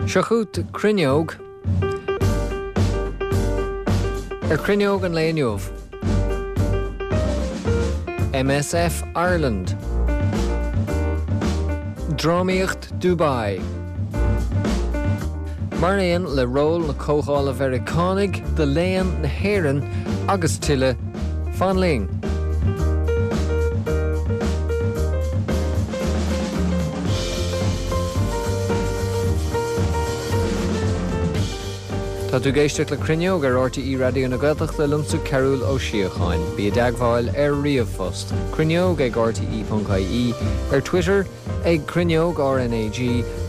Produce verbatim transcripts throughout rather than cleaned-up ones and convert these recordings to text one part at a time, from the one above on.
Seo chugat Cruinneog ar Cruinneog an lae inniu. MSF Ireland. Drámaíocht Dubai. Mar aon le ról na Comhdhála Mheiriceánaigh do Léann na hÉireann agus tuilleadh fan linn. Tá tú ag éisteacht le Cruinneog ar RTÉ Raidió na Gaeltachta liomsa Cearúll Ó Síocháin. Bí i dteagmháil ar ríomhphost. Cruinneog ag RTE.ie ar Twitter ag Cruinneog RNAG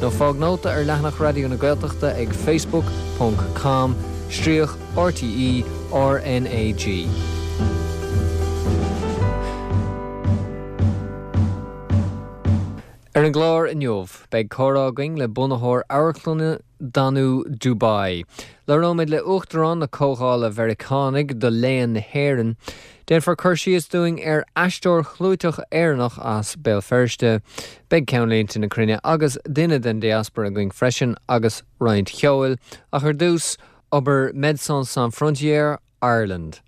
nó fág nóta ar leathanach Raidió na Gaeltachta ag facebook ponc com stríoc RTE RNAG. Ar an gclár inniu, beidh comhrá againn le bunaitheoir amharclainne Danú Dubai. Labhróimid le Uachtarán na Comhdhála Mheiriceánaigh do Léann na hÉireann. Déanfar cur síos dúinn ar aisteoir chlúiteach Éireannach as Béal Feirste. Beidh ceannlínte na cruinne agus duine den diaspora againn freisin agus roinnt cheoil, ach ar dtús, obair Médecins Sans Frontières Ireland.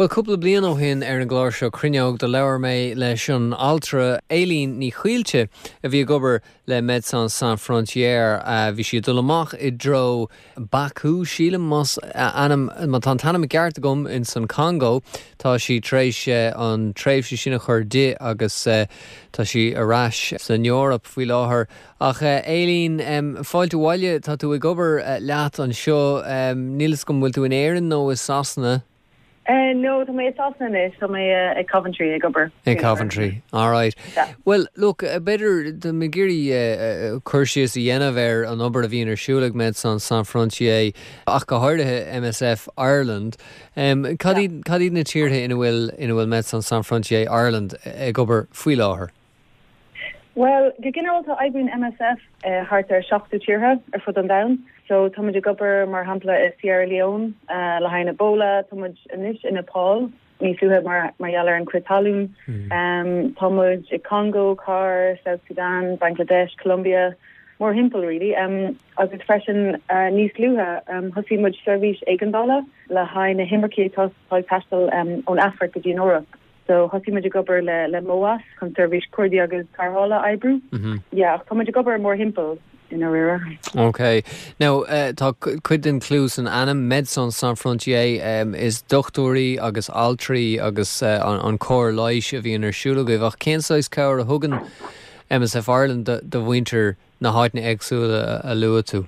Bhuel, cúpla bliain ó shin ar an gclár seo Cruinneog do labhair mé leis an altra Éilín Ní Chaoilte a bhí ag obair le Médecins Sans Frontières. Bhí sí ag dul amach i dtreo Baku, sílim, más ainm, má tá an t-ainm ceart agam, ins an Congo. Tá sí tar éis an tréimhse sin a chur di agus tá sí ar ais san Eoraip faoi láthair. Ach Éilín, fáilte abhaile, tá tú ag obair leat anseo, níl fhios agam bhfuil tú in Éirinn nó i Sasana? No, tá mé i Sasana anois, tá mé ag Coventry ag obair. Ag Coventry, alright. Bhuel, look, b'fhéidir tá mé ag iarraidh cur síos a dhéanamh ar an obair a bhíonn ar siúl ag Médecins Sans Frontières, ach go háirithe MSF Ireland. Cad iad, cad iad na tíortha ina bhfuil, ina bhfuil Médecins Sans Frontières Ireland ag obair faoi láthair? Bhuel, go ginearálta oibríonn MSF thart ar seachtó tíortha ar fud an domhain. So tá muid ag obair mar shampla i Sierra Leone le haghaidh Ebola, tá muid anois i Nepal níos luaithe mar mar gheall ar an crith talún. Um, tá muid i Congo, CAR, South Sudan, Bangladesh, Colombia, mórthimpeall really. Um, agus freisin uh, níos luaithe um, thosaigh muid seirbhís éigeandála le haghaidh na himircigh atá ag taisteal um, ón Afraic go dtí an Eoraip. So thosaigh muid ag obair le le MOAS chun seirbhís cuardaigh agus tarrthála a oibriú. Yeah, ach tá muid ag obair mórthimpeall i ndáiríre. Ok. Now, uh, tá cuid den clú san ainm Médecins Sans Frontières um, is dochtúirí agus altraí agus uh, an, an cóir leighis a bhíonn ar siúl agaibh ach cén saghas cabhair a thugann MSF Ireland do, do mhuintir na háiteanna éagsúla a, a luaigh tú?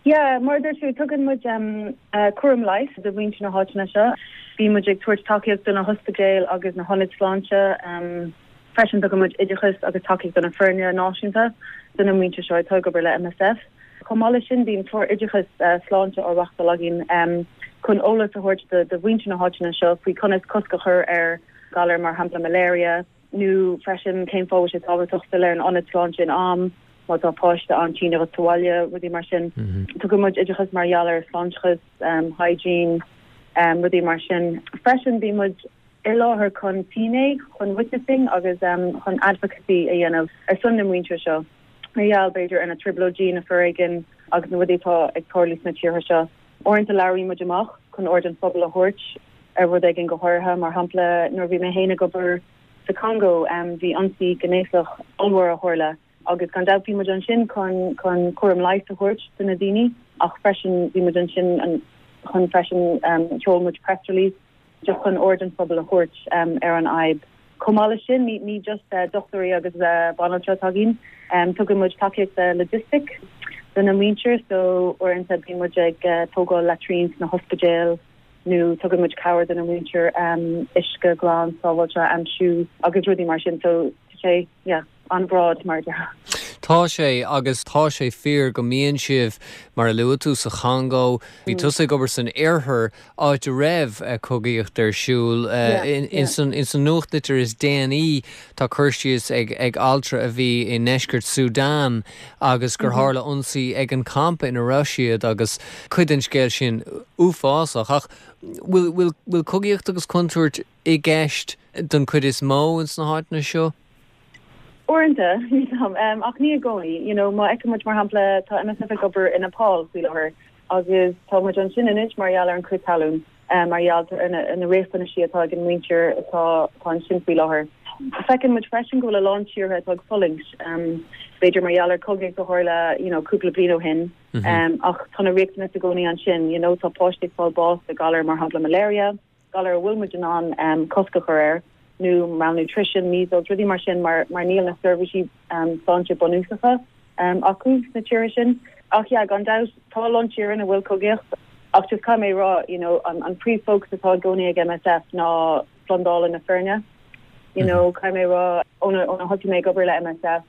Yeah, mar a dúirt tú, tugann muid um, uh, cúram leighis do mhuintir na háiteanna seo. Bíonn muid ag tabhairt tacaíocht do na hospidéil agus na hionaid sláinte. Um, freisin tugann muid oideachas agus tacaíocht do na foirne náisiúnta do na muintir seo atá ag obair le MSF. Chomh maith leis sin bíonn clár oideachas uh, sláinte á reáchtáil againn um, chun eolas a thabhairt do, do mhuintir na háiteanna seo faoi conas cosc a chur ar galar mar shampla malaria, nó freisin cén fáth sé tábhachtach dul ar an ionad sláinte in am má tá páiste an-tinn agat sa bhaile rudaí mar sin. Tugann muid oideachas mar gheall ar sláinteachas, um, hygiene, um, rudaí mar sin. Freisin bíonn muid i láthair chun finné, chun witnessing agus um, chun advocacy a dhéanamh ar son na muintir seo. Mar gheall b'fhéidir ar na trioblóidí na foréigean agus na rudaí atá ag tarlú sna tíortha seo. Uaireanta labhraíonn muid amach chun aird an phobail a thabhairt ar rud éigin go háirithe mar shampla nuair bhí mé féin ag obair sa Congo um, bhí ionsaí gnéasach ollmhór a tharla agus gan dabht bhí muid ansin chun chun cúram leighis a thabhairt do na daoine ach freisin bhí muid ansin an, chun freisin um, sheol muid press release just chun aird an phobail a thabhairt um, ar an fhadhb. Chomh maith leis sin ní, ní just uh, dochtúirí agus uh, banaltra atá againn, um, tugann muid tacaíocht uh, logistic do na muintir so uaireanta bíonn muid ag uh, tógáil latrines sna hospidéil nó tugann muid cabhair do na muintir um, uisce glan sábháilte a aimsiú agus rudaí mar sin so sé yeah, an-broad mar de. Tá sé agus tá sé fíor go mbíonn sibh mar a luaigh tú sa Chongó, bhí mm. tusa ag obair san iarthar áit a raibh eh, cogaíocht ar siúl eh, in san nuachtlitir is déanaí tá cur síos ag ag altra a bhí i ndeisceart Sudan agus gur mhm. tharla ionsaí ag an campa ina raibh siad agus cuid den scéal sin uafásach ach bhfuil bhfuil cogaíocht agus contúirt i gceist don chuid is mó ins na háiteanna seo? Uaireanta um, ach ní i gcónaí you know, má fheiceann muid mar shampla tá M S F ag obair in Nepal faoi láthair agus tá muid ansin anois mar gheall ar an crith talún um, mar gheall ar na, na riachtanaisí atá ag an muintir atá ansin faoi láthair. Feiceann muid freisin go bhfuil a lán tíortha atá ag fulaingt um, b'fhéidir mar gheall ar chogaí a tharla you know, cúpla bliain ó shin mm -hmm. um, ach tá na riachtanais i gcónaí ansin you know, tá páistí ag fáil bás de galar mar shampla malaria, galar a bhfuil muid in ann um, cosc a chur air nó malnutrition, measles, rudaí mar sin mar, mar níl na seirbhísí um, sláinte bunúsacha um, acu na tíortha sin. Ach yeah, gan dabht tá a lán tíortha ina bhfuil cogaíocht ach just caithfidh mé rá you know, an, an príomhfhócas atá i gcónaí ag M S F ná slándáil na foirne. You mm -hmm. know, caithfidh mé rá óna óna thosaigh mé ag obair le M S F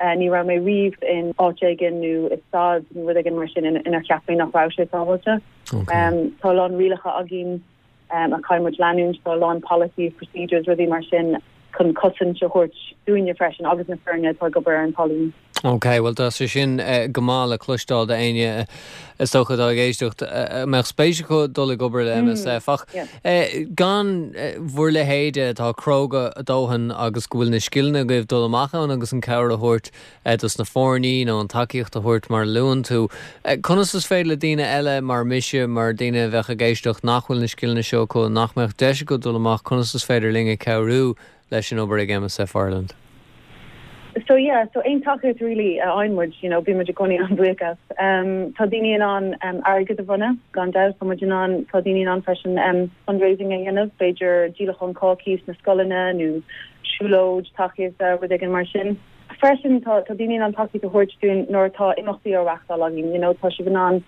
uh, ní raibh mé riamh in áit éigin nó i staid nó rud éigin mar sin inar cheap mé nach raibh sé sábháilte. Okay. Um, tá lán rialacha againn um, a chaithfidh muid leanúint tá lán policies, procedures rudaí mar sin chun cosaint a thabhairt dúinne freisin agus na foirne atá ag obair ar an talamh. Ok, well tá sé sin uh, go maith le cloisteáil d'éinne is dócha atá ag éisteacht uh, mbeadh spéis acu dul ag obair le M S F ach yeah. uh, gan uh, bhur leithéid atá cróga a dóthain agus go bhfuil na scileanna agaibh dul amach ann agus an cabhair a thabhairt uh, dos na foirne nó an tacaíocht a thabhairt mar luann tú. Uh, conas is féidir le daoine eile mar mise mar daoine a bheadh ag éisteacht nach bhfuil na scileanna seo acu nach mbeadh deis acu dul amach conas is féidir linn cabhrú leis an obair ag M S F Ireland. So yeah, so aon tacaíocht really uh, fhaigheann muid, you know, bíonn muid i gcónaí an-bhuíoch as. Um, tá daoine in ann um, airgead a bhronnadh gan dabht tá muid in ann tá daoine in ann freisin um, fundraising a dhéanamh, b'fhéidir díolachán cácaí sna scoileanna nó siúlóid tacaíochta rud éigin mar sin. Freisin tá tá daoine in ann tacaíocht a thabhairt dúinn nuair atá imeachtaí á reáchtáil againn, you know, tá sibh in ann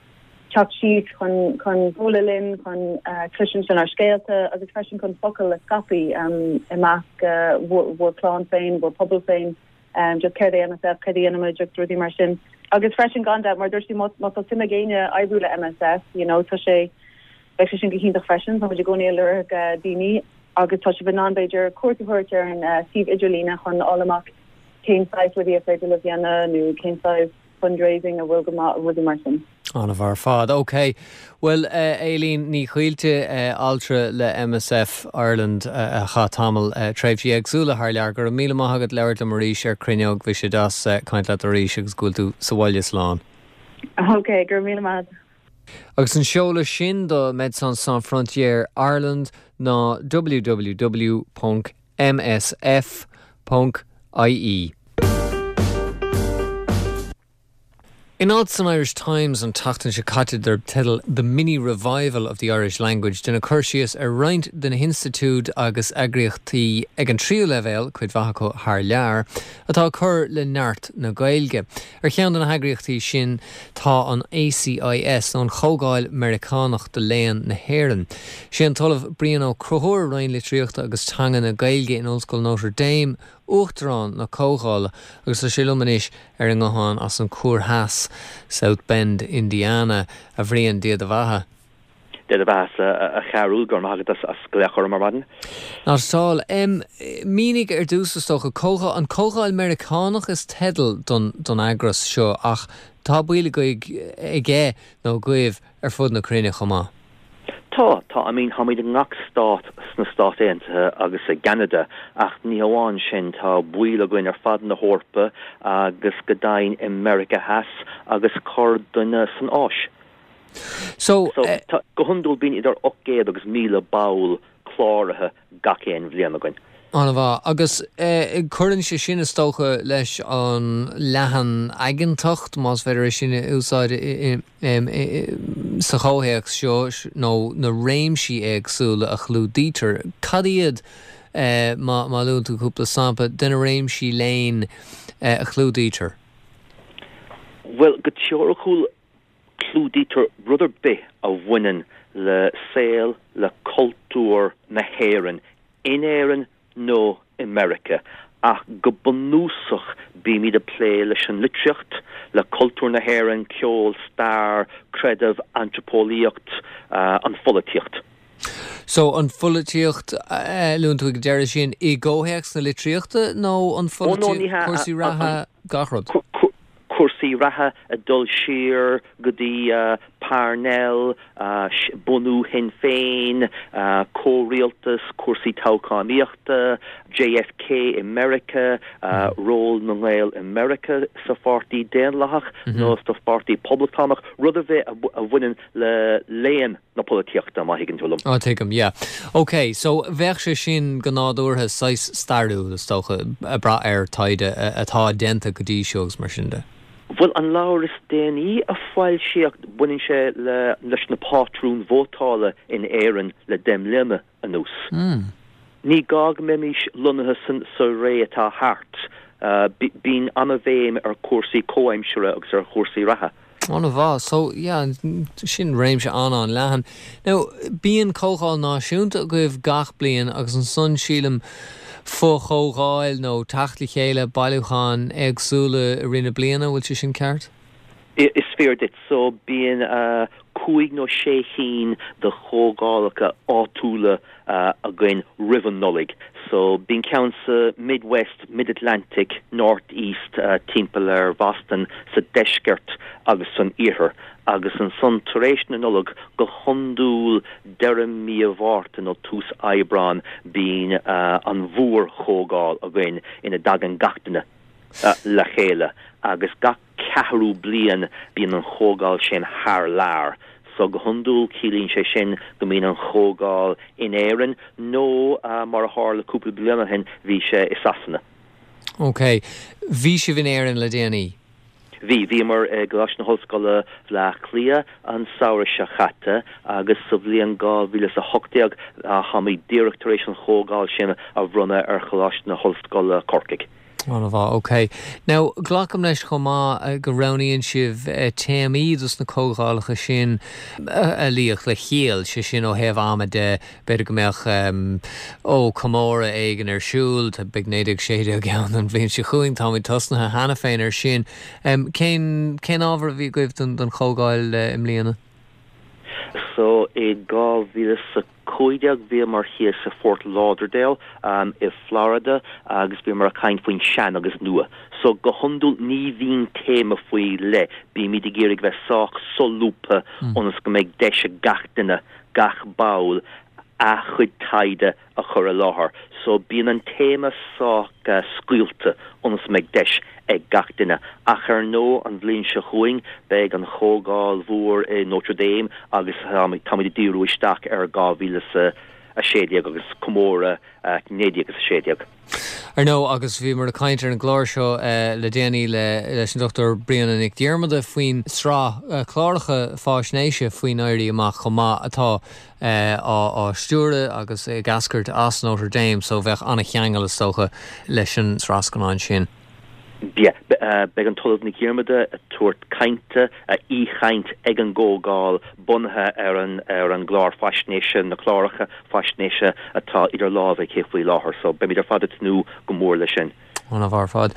teacht síos chun chun bualadh linn chun uh, cloisint ár scéalta agus freisin chun focal a scaipeadh um, i measc uh, bhur clann féin, bhur pobal féin. um, just céard é M S F cad a dhéanaimid just rudaí mar sin. Agus freisin gan dabht mar dúirt má tá suim ag éinne oibriú le M S F, you know, tá sé beidh sé sin go hiontach freisin, tá muid i gcónaí ag lorg uh, daoine agus tá sibh in ann b'fhéidir cuairt a thabhairt ar an uh, suíomh idirlíne chun fháil amach cén saghas rudaí is féidir le dhéanamh nó cén saghas fundraising a bhfuil go maith rudaí mar sin. An-mhaith ar fad. Ok, Well uh, Aileen Ní Chaoilte uh, altra le M S F Ireland uh, a chaith tamall uh, tréimhsí éagsúla thar lear go raibh míle maith agat labhairt liom arís ar Cruinneog bhí sé deas uh, caint leat arís agus go bhfuil tú sa bhaile slán. Ok, gur míle maith. Agus an seoladh sin do Médecins Sans Frontières Ireland ná W W W ponc M S F ponc I E. In alt san Irish Times an tseachtain seo caite darb teideal "The Mini Revival of the Irish Language" deineadh cur síos ar roinnt de na hinstitiúidí agus eagraíochtaí ag an tríú leibhéal cuid mhaith acu thar lear atá ag cur le neart na Gaeilge. Ar cheann de na heagraíochtaí sin tá an A C I S nó an Chomhdháil Meiriceánach do Léann na hÉireann. Sé an tOllamh Brian Ó Conchúir Roinn Litríochta agus Teanga na Gaeilge in Ollscoil Notre Dame uachtarán na comhdhála agus tá sé liom anois ar an nguthán as an Chúr Theas South Bend, Indiana a Bhriain Dia do bheatha. Dia do bheatha a Chearúil go raibh maith agat as glaoch orm ar maidin. Ná sáil M mínigh ar dtús is dócha comhdháil an Chomhdháil Meiriceánach is teideal don don eagras seo ach tá baill aige nó agaibh ar fud na cruinne chomh maith. Tá tá I mean táimid i ngach stát sna Stáit Aontaithe agus i gCeanada ach ní hamháin sin tá baill againn ar fad na hEorpa agus go deimhin i Meiriceá Theas agus corrdhuine san Áis. So, So uh, tá, go hiondúil bíonn idir ocht gcéad agus míle ball cláraithe gach aon bhliain againn. An-mhaith agus eh, cuireann sé sin is dócha leis an leathan-aigeantacht más féidir sin a úsáid sa chomhthéacs seo nó na réimsí éagsúla a chlúdaítear. Cad iad eh, má má luann tú cúpla sampla de na réimsí léinn eh, a chlúdaítear? Well go teoiriciúil clúdaítear rud ar bith a bhaineann le saol le cultúr na hÉireann in Éirinn nó i Meiriceá ach go bunúsach bímid ag plé leis an litríocht le cultúr na hÉireann ceol stair creideamh antraipeolaíocht uh, an pholaitíocht. So an pholaitíocht uh, luann tú ag deireadh sin i gcomhthéacs na litríochta nó an Oh, no, ní hea, cúrsaí an- reatha gach rud? Cu- cu- Cúrsaí reatha ag dul siar go dtí uh, Parnell, uh, bunú Shinn Féin, uh, comhrialtas, cúrsaí toghchánaíochta, JFK i Meiriceá, ról na nGael i Meiriceá sa Pháirtí Daonlathach nó sa Pháirtí Poblachtánach, rud ar bith a bhaineann le léann na polaitíochta má thuigeann tú liom. Á tuigim, yeah. Ok, so bheadh sé sin go nádúrtha saghas stairiúil is dócha ag brath ar taighde atá déanta go dtí seo agus mar sin de. Bhuel an leabhar is déanaí a foilsíodh baineann sé le leis na pátrúin vótála in Éirinn le deich mbliana anuas. Mm. Ní gá go mbeimis lonnaithe san sa ré atá thart. Bíonn an-bhéim ar chúrsaí comhaimseartha agus ar chúrsaí reatha. An-mhaith. So, yeah, sin réimse an-an-leathan. Now, bíonn comhdháil náisiúnta agaibh gach bliain agus ansan sílim fo-chomhdháil nó teacht le chéile bailiúcháin éagsúla i rith na bliana, bhfuil sé sin ceart? Is fíor duit. So bíonn cúig nó sé cinn de chomhdhálacha áitiúla againn roimh an Nollaig. So bíonn ceann sa Midwest, Mid-Atlantic, North East timpeall ar Bhoston sa deisceart agus san iarthar. Agus ansan tar éis na Nollag go hiondúil deireadh mí an Mhárta nó tús Aibreán bíonn an mhórchomhdháil againn ina dtagann gach duine le chéile agus gach ceathrú bliain bíonn an chomhdháil sin thar lear. So go hiondúil ciallaíonn sé sin go mbíonn an chomhdháil in Éirinn nó mar a tharla cúpla bliain ó shin bhí sé i Sasana. Ok. Bhí sibh in Éirinn le déanaí? Bhí, bhíomar i gColáiste na hOllscoile Bhaile Átha Cliath an samhradh seo chaite agus sa bhliain dhá mhíle is a hocht déag táimid díreach tar éis an chomhdháil sin a bhronnadh ar Choláiste na hOllscoile Corcaigh. An-mhaith, ok. Now, glacaim leis chomh maith go roghnaíonn sibh téamaí dos na comhdhálacha sin a luífeadh le ciall, sé sin ó thaobh ama de, b'fhéidir go mbeadh ó comóradh éigin ar siúl, beidh naoi déag sé déag ann an bhliain seo chugainn, táimid tosnaithe cheana féin ar sin. Cén cén ábhar a bhí agaibh don don chomhdháil i mbliana? So i dhá mhíle is a cúig déag bhíomar thíos i Fort Lauderdale i Florida agus bhíomar ag caint faoin sean agus nua. So go hiondúil ní bhíonn téama faoi leith, bímid ag iarraidh bheith sách solúbtha ionas go mbeidh deis ag gach duine, gach ball, a chuid taighde a chur i láthair. So bíonn an téama sách scaoilte ionas go mbeidh deis ag gach duine. Ach ar ndóigh an bhliain seo chugainn beidh an chomhdháil mhór i Notre Dame agus táimid ag díriú isteach ar dhá mhíle is a sé déag agus comóradh naoi déag is a sé déag. Ar ndóigh, agus bhíomar ag caint ar an gclár seo le déanaí leis an Dochtúir Bríona Nic Dhiarmada faoin sraith cláracha faisnéise faoin Éirí Amach chomh maith atá á stiúradh agus ag eascairt as Notre Dame so bheadh an-cheangal is dócha leis an sraith scannán sin. Yeah, beidh an tOllamh Nic Dhiarmada ag tabhairt cainte, aoichaint ag an gcomhdháil bunaithe ar an ar an gclár faisnéise, na cláracha faisnéise atá idir lámha aici faoi láthair, so beimid ar fad ag tnúth go mór leis sin. An-mhaith ar fad.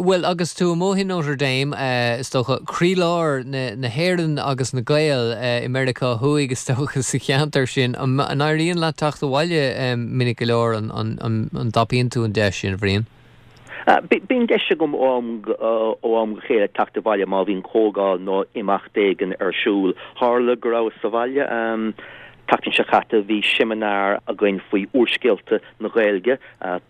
Bhuel, agus tú amuigh in Notre Dame, is dócha, croílár na na hÉireann agus na Gael i Meiriceá Thuaidh, is dócha, sa cheantar sin, an éiríonn leat teacht abhaile minic go leor, an an an dtapaíonn tú an deis sin, a Bhriain? Bíonn deis agam ó am ó am go chéile teacht abhaile má bhíonn comhdháil nó imeacht éigin ar siúl. Tharla go rabhas sa bhaile an tseachtain seo caite, bhí seimineár againn faoi úrscéalta na Gaeilge.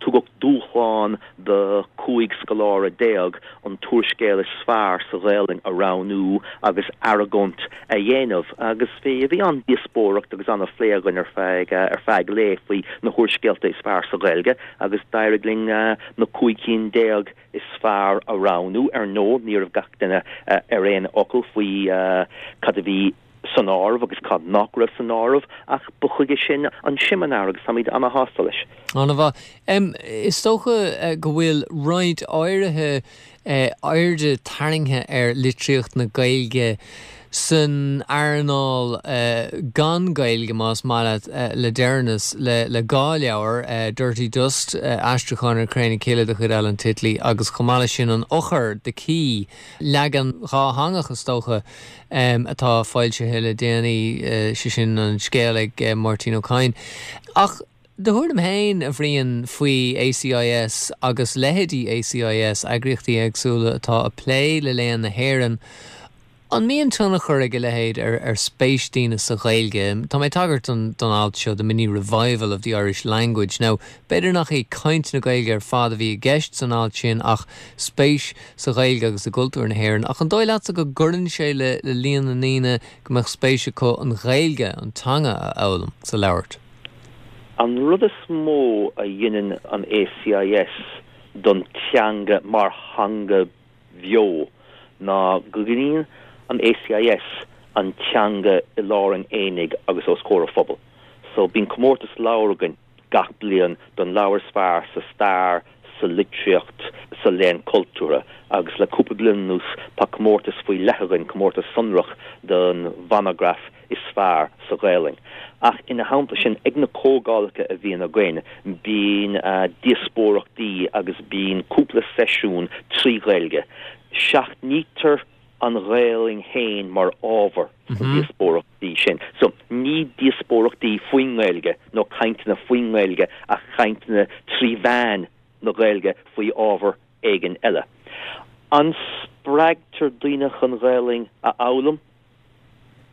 Tugadh dúshlán do cúig scoláire déag an t-úrscéal is fearr sa Ghaelainn a roghnú agus argóint a dhéanamh agus bhí bhí an-díospóireacht agus an-phlé againn ar feadh ar feadh lae faoi na húrscéalta is fearr sa Ghaeilge agus d'éirigh linn na cúig cinn déag is fearr a roghnú. Ar ndóigh, ní raibh gach duine ar aon fhocal faoi cad a bhí san áireamh agus cad nach raibh san áireamh, ach ba chuige sin an seimineár agus táimid ana-shásta leis. An-mhaith. Is dócha go bhfuil roinnt áirithe airde tarraingthe ar litríocht na Gaeilge san earnáil gan Gaeilge, más maith leat, le deireanas le le dhá leabhar, Dirty Dust, aistriúchán ar Cré na Cille de chuid Alan Titley, agus chomh maith leis sin An Eochair, The Key, leagan dhátheangach is dócha, atá foilsithe le déanaí, sé sin an scéal ag Máirtín Ó Cadhain. Ach do thuairim féin, a Bhriain, faoi ACIS agus leithéidí ACIS, eagraíochtaí éagsúla atá ag plé le léann na hÉireann, An mbíonn tionchar ag a leithéid ar ar spéis daoine sa Ghaeilge? Tá mé ag tagairt don don alt seo the mini revival of the Irish language. Now, b'fhéidir nach é caint na Gaeilge ar fad a bhí i gceist san alt sin ach spéis sa Ghaeilge agus i gcultúr na hÉireann. Ach an dóigh leatsa go gcuireann sé le le líon na ndaoine go mbeadh spéis acu an Ghaeilge an teanga a fhoghlaim sa labhairt. An rud is mó a dhéanann an ACIS don teanga mar theanga bheo ná go gcuireann an ACIS an teanga i lár an aonaigh agus os comhair an phobail. So bíonn comórtas leabhar againn gach bliain don leabhar is fearr sa stair, sa litríocht, sa léann cultúrtha, agus le cúpla bliain anuas tá comórtas faoi leith againn, comórtas sonrach don mhonagraf is fearr sa Ghaelainn. Ach ina theannta sin ag na comhdhálacha a bhíonn againn, bíonn díospóireachtaí agus bíonn cúpla seisiún trí Ghaeilge. Seachnaítear an Ghaelainn féin mar ábhar sna díospóireachtaí sin. So ní díospóireachtaí faoin nGaeilge nó cainteanna faoin nGaeilge ach cainteanna trí mheán na Gaeilge faoi ábhar éigin eile. An spreagtar daoine chun Gaelainn a fhoghlaim?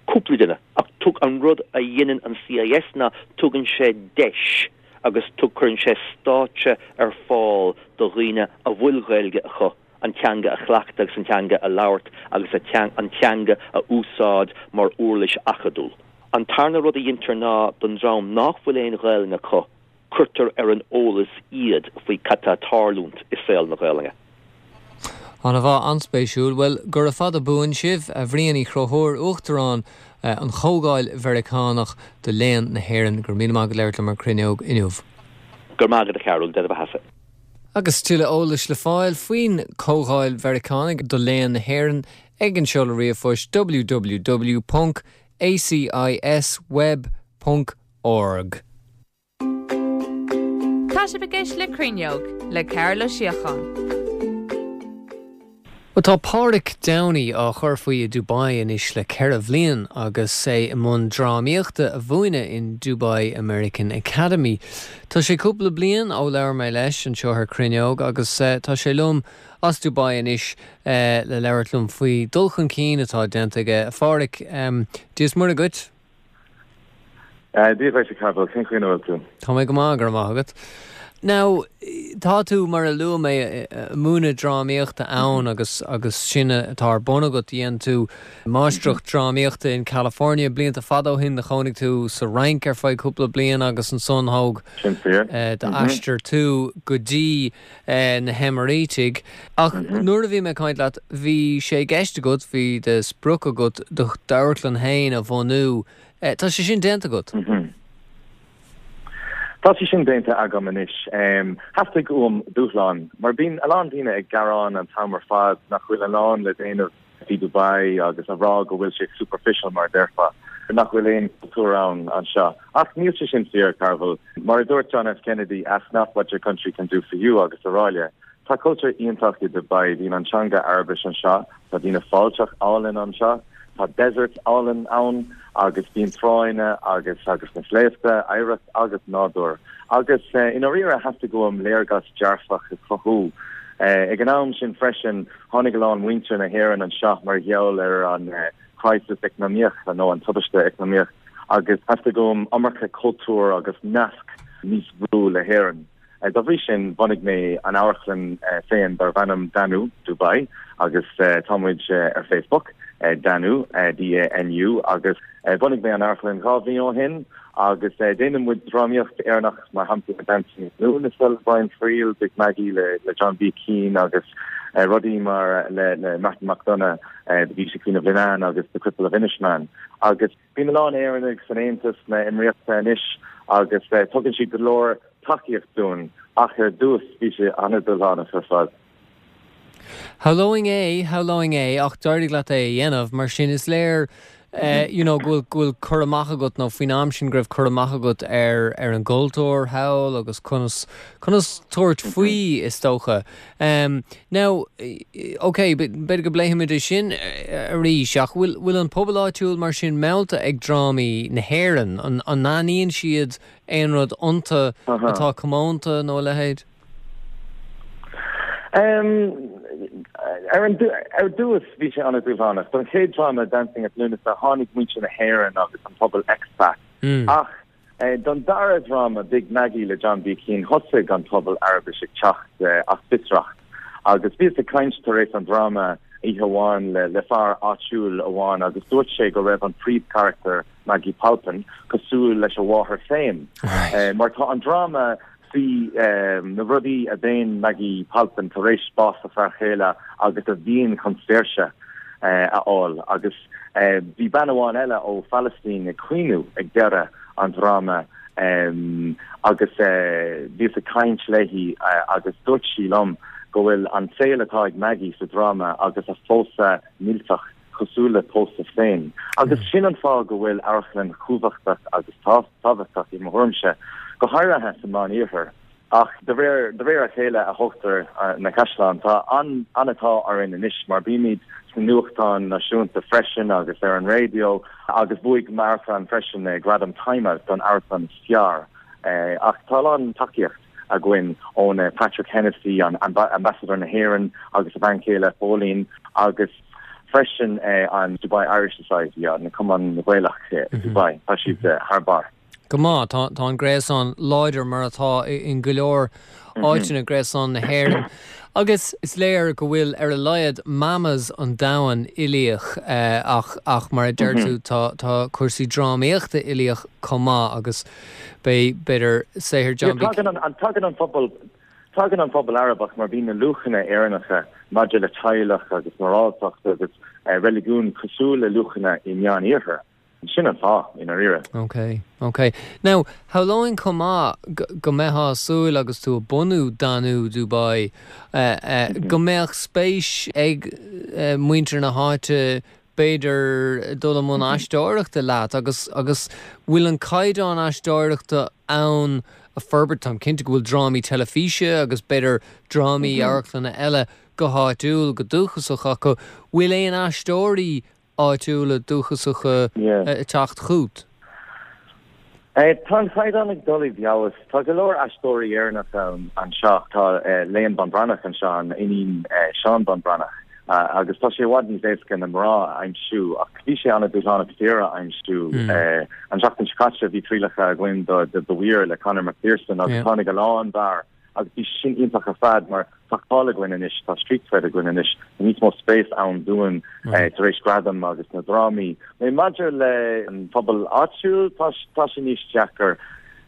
Cúpla duine, ach tug an rud a dhéanann an CIS ná tugann sé deis agus tug cuireann sé stáitse ar fáil do dhaoine a bhfuil Gaeilge acu an teanga a chleachtadh agus an teanga a labhairt agus an teanga a úsáid mar uirlis acadúil. An tarna rud a dhéantar ná don dream nach bhfuil aon Ghaelainn acu, cuirtear ar an eolas iad faoi cad tá ag tarlúint i saol na Gaelainne. An-mhaith, an-spéisiúil. Bhuel, gura fada buan sibh, a Bhriain Uí Chonchúir, Uachtarán an Chomhdháil Mheiriceánach do Léann na hÉireann, go raibh míle maith agat labhairt liom ar Cruinneog inniu. Go raibh maith agat a Chearúil, Dé do bheatha-sa. Agus tuilleadh eolais le fáil faoin Comhdháil Mheiriceánach do Léann na hÉireann ag an seoladh ríomhphoist www ponc acisweb ponc org. Tá sibh ag éisteacht le Cruinneog le Cearbhall Ó Síocháin. Well tá Páraic Downey á chur faoi i Dubai anois le ceithre bhliain agus é i mbun drámaíochta a mhúineadh in Dubai American Academy. Tá sé cúpla bliain ó labhair mé leis anseo ar Cruinneog agus tá sé liom as Dubai anois le labhairt liom faoi dul chun cinn atá déanta aige. A Pháraic, Dia is Muire dhuit? Dia duit a Chearbhaill, cén chaoi a bhfuil tú? Tá mé go maith go raibh maith agat. Now, tá tú mar a luaigh mé ag múineadh drámaíochta ann agus agus sin atá ar bun agat dhein tú máistreacht drámaíochta in California blianta fada ó shin do chónaigh tú sa Fhrainc ar feadh cúpla bliain agus ansan thóg d'aistear tú go dtí na hEimirítigh. Ach nuair a bhí mé ag caint leat bhí sé i gceist agat, bhí de sprioc agat do d'amharclann féin a bhunú. Tá sé sin déanta agat? Tá sé sin déanta agam anois. Theastaigh uaim dúshlán, mar bíonn a lán daoine ag gearán an t-am ar fad nach bhfuil a lán le déanamh i Dubai agus a rá go bhfuil sé superficial mar a déarfá, nach bhfuil aon cultúr ann anseo. Ach níl sé sin fíor, Cearbhall. Mar a dúirt John F. Kennedy, ask not what your country can do for you agus araile. Tá cultúr iontach i Dubai, bíonn an teanga Araibis anseo, tá daoine fáilteach álainn anseo, Tá desert álainn ann agus bíonn tránna agus agus na sléibhte, oidhreacht agus nádúr. Agus i ndáiríre theastaigh uaim léargas dearfach a chruthú. Ag an am sin freisin tháinig a lán muintir na hÉireann anseo mar gheall ar an crisis eacnamaíoch nó an tubaiste eacnamaíoch agus theastaigh uaim iomarca cultúr agus nasc níos mó le hÉirinn. Dá bhrí sin, bhunaigh mé an amharclann féin darb ainm Danu Dubai agus tá muid ar Facebook, Danu, D-A-N-U, agus bhunaigh mé an amharclann dhá mhí ó shin agus déanann muid drámaíocht Éireannach, mar shampla Dancing with the Moon le Brian Friel, Big Maggie le John B. Keane agus rudaí mar le Martin McDonagh, The Beauty Queen of Leenane agus The Cripple of Inishmaan. Agus bíonn a lán Éireannaigh san Aontas na Éimíríochta anois agus tugann siad go leor tacaíocht dúinn ach ar dtús bhí sé an-dúshlánach ar fad. Shamhlóinn é, shamhlóinn é, ach d'éirigh leat é a dhéanamh, mar sin is léir you know go bhfuil go bhfuil cur amach agat nó faoin am sin go raibh cur amach agat ar ar an gcultúr thall agus conas conas tabhairt faoi is dócha. Um, now, ok, b'fhéidir go bpléifimid é sin arís ach bhfuil bhfuil an pobal áitiúil mar sin meallta ag drámaí na hÉireann? An an n-aithníonn siad aon rud iontu atá comónta nó a leithéid? Um, Ar an ar dtús bhí sé an-dúshlánach. Don chéad dráma Dancing at Lughnasa tháinig muintir na hÉireann agus an pobal expat. Mm. Ach eh, don dara dráma Big Maggie le John B. Keane thosaigh an pobal Araibis ag teacht eh, as fiosracht. Agus bhíos ag caint tar éis an dráma oíche amháin le le fear áitiúil amháin agus dúirt sé go raibh an príomhcharachtar Maggie Palpin cosúil leis a mháthair féin. Right. Eh, mar tá an dráma faoi um, na rudaí a dhéan Maggie Palpin tar éis bás a fear chéile agus a mhian chun saoirse eh, a fháil agus eh, bhí bean amháin eile ó Palestine ag caoineadh ag deireadh an dráma um, agus eh, bhíos ag caint léi eh, agus dúirt sí liom go bhfuil an saol atá ag Maggie sa dráma agus a pósadh millteach cosúil le pósadh féin. Agus sin an fáth go bhfuil amharclann cumhachtach agus tábhachtach i mo thuairimse, go háirithe sa Mheánoirthear. Ach de réir de réir a chéile a thógtar uh, na caisleáin tá an an-ádh orainn anois mar bímid sna nuachtáin náisiúnta freisin agus ar an raidió agus bhuaigh m'amharclann freisin eh, gradam Time Out don amharclann is fearr. Eh, ach tá an tacaíocht againn ón eh, Patrick Hennessy an amba ambassador na hÉireann agus a bhean chéile Pauline agus freisin eh, an Dubai Irish Society an Cumann Gaelach eh, mm -hmm. Dubai tá siad eh, thar barr. Go maith tá tá an gréasán láidir mar atá in go leor áiteanna gréasán na hÉireann. Agus is léir go bhfuil ar a laghad mamas an domhain uilíoch eh, ach ach mar a deir tú tá tá cúrsaí drámaíochta uilíoch chomh maith agus bé b'fhéidir saothar John Yeah, tagann an, an tagann an pobal tagann an pobal Arabach mar bíonn na luachanna Éireannacha maidir le teaghlach agus moráltacht agus eh, reiligiún cosúil le luachanna i Meánoirthear. Sin an fáth i ndáiríre. Ok, ok. Now, shamhlóinn chomh maith go mbeifeá ag súil agus tú ag bunú Danú Dubai uh, uh, go mbeadh spéis ag uh, muintir na háite b'fhéidir dul i mbun aisteoireachta leat agus agus bhfuil an caighdeán aisteoireachta ann a forbairt táim cinnte go bhfuil drámaí teilifíse agus b'fhéidir drámaí amharclanna eile go háitiúil go dúchasach acu bhfuil aon aisteoirí áitiúla dúchasacha Yeah. ag teacht chugat. Eh, tá an caighdeán ag dul i bhfeabhas Tá go leor aisteoirí Éireannach an anseo tá eh, Léan Ban Breathnach anseo an iníon eh, Seán Bán Breathnach. Uh, agus tá sé i bhfad níos éasca na mná a aimsiú ach bhí sé an-dúshlánach fir a aimsiú Mm. eh, an seachtain seo caite bhí trialacha againn do do The Weir le Conor McPherson agus Yeah. tháinig a lán fear agus bhí sin iontach ar fad mar tá cáil againn anois tá street cred againn anois níos mó spéis ann dúinn eh, tar éis gradam agus na drámaí. Mé maidir le an pobal áitiúil tá tá sé níos deacra